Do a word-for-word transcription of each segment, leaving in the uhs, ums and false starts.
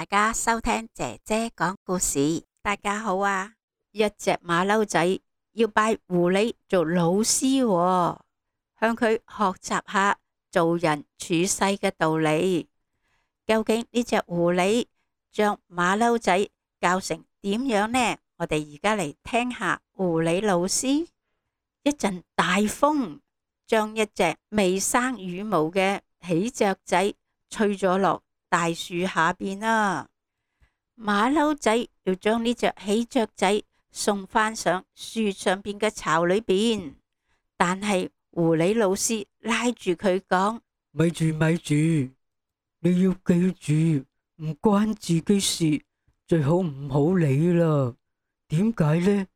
家收聽姐姐講故事。大家好啊！一隻馬騮仔要拜狐狸做老師喎，向佢學習下做人處世嘅道理。究竟呢隻狐狸將馬騮仔教成點樣呢？我哋而家嚟聽下狐狸老師。一陣大風將一隻未生羽毛嘅喜鵲仔吹咗落大樹下邊啦。馬騮仔要將呢隻喜鵲仔送返上樹上邊嘅巢裏邊，但係狐狸老師拉住佢講：咪住咪住，你要記住，唔關自己事，最好唔好理啦。點解呢？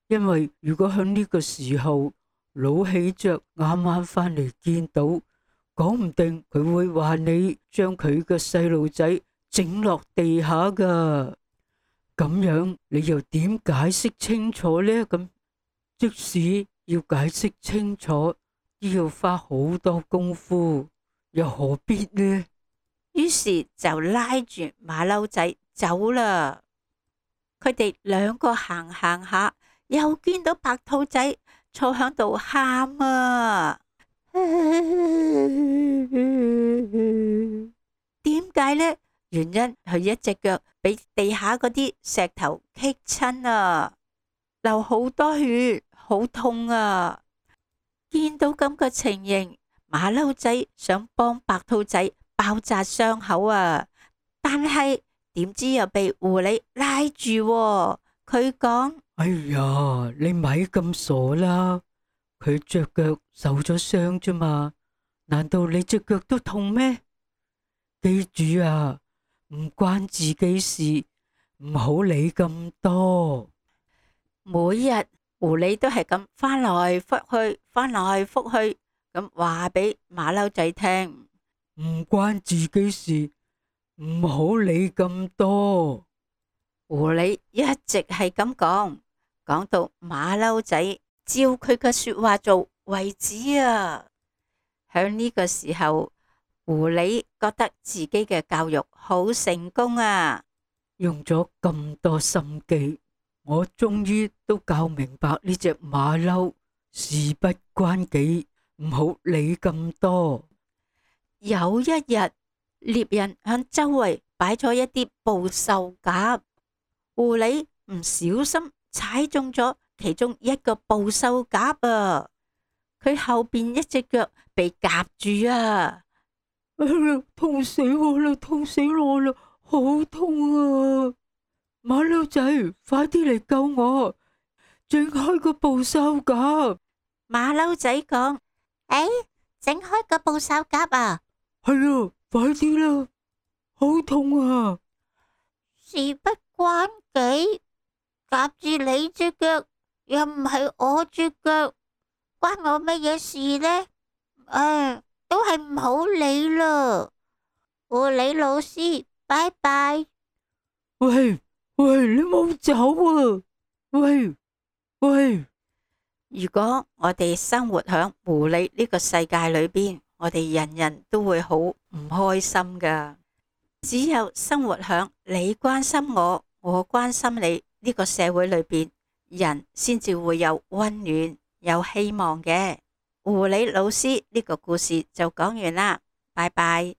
因為如果喺呢個時候老喜鵲啱啱返嚟見到，講唔定佢會話你將佢嘅細路仔整落地下噶。咁樣你又點解釋清楚呢？咁即使要解釋清楚，都要花好多功夫，又何必呢？於是就拉住馬騮仔走啦。佢哋兩個行行下，又見到白兔仔坐響度喊啊！點解呢？原因佢一隻腳俾地下嗰啲石頭棘親啊，流好多血，好痛啊！見到咁嘅情形，馬騮仔想幫白兔仔包紮傷口啊，但係點知又被狐狸拉住啊。佢講：哎呀，你咪咁傻啦！佢隻腳受咗傷啫嘛，難道你隻腳都痛咩？記住啊，唔關自己事，唔好理咁多。每日狐狸都係咁翻來覆去，翻來覆去咁話俾馬騮仔聽，唔關自己事，唔好理咁多。狐狸一直係咁講，講到馬騮仔照佢嘅說話做為止啊。響呢個時候，狐狸覺得自己嘅教育好成功啊，用咗咁多心機，我終於都教明白呢隻馬騮事不關己，唔好理咁多。有一日，獵人向周圍擺咗一啲捕獸夾，狐狸唔小心踩中咗其中一個捕獸夾啊！佢後邊一隻腳被夾住啊！哎呀，痛死我啦！痛死我啦！好痛啊！馬騮仔，快啲嚟救我！整開個捕獸夾。馬騮仔講：誒，整開個捕獸夾啊！係啊，快啲啦！好痛啊！事不關己，夾住你隻腳，又唔係我隻腳，關我乜嘢事呢？唉，都係唔好理啦。狐狸老師，拜拜。喂喂，你冇走啊！喂喂，如果我哋生活響狐狸呢個世界裏邊，我哋人人都會好唔開心噶。只有生活響你關心我，我關心你呢個社會裏邊，人先至會有溫暖、有希望嘅。狐狸老師呢個故事就講完啦，拜拜。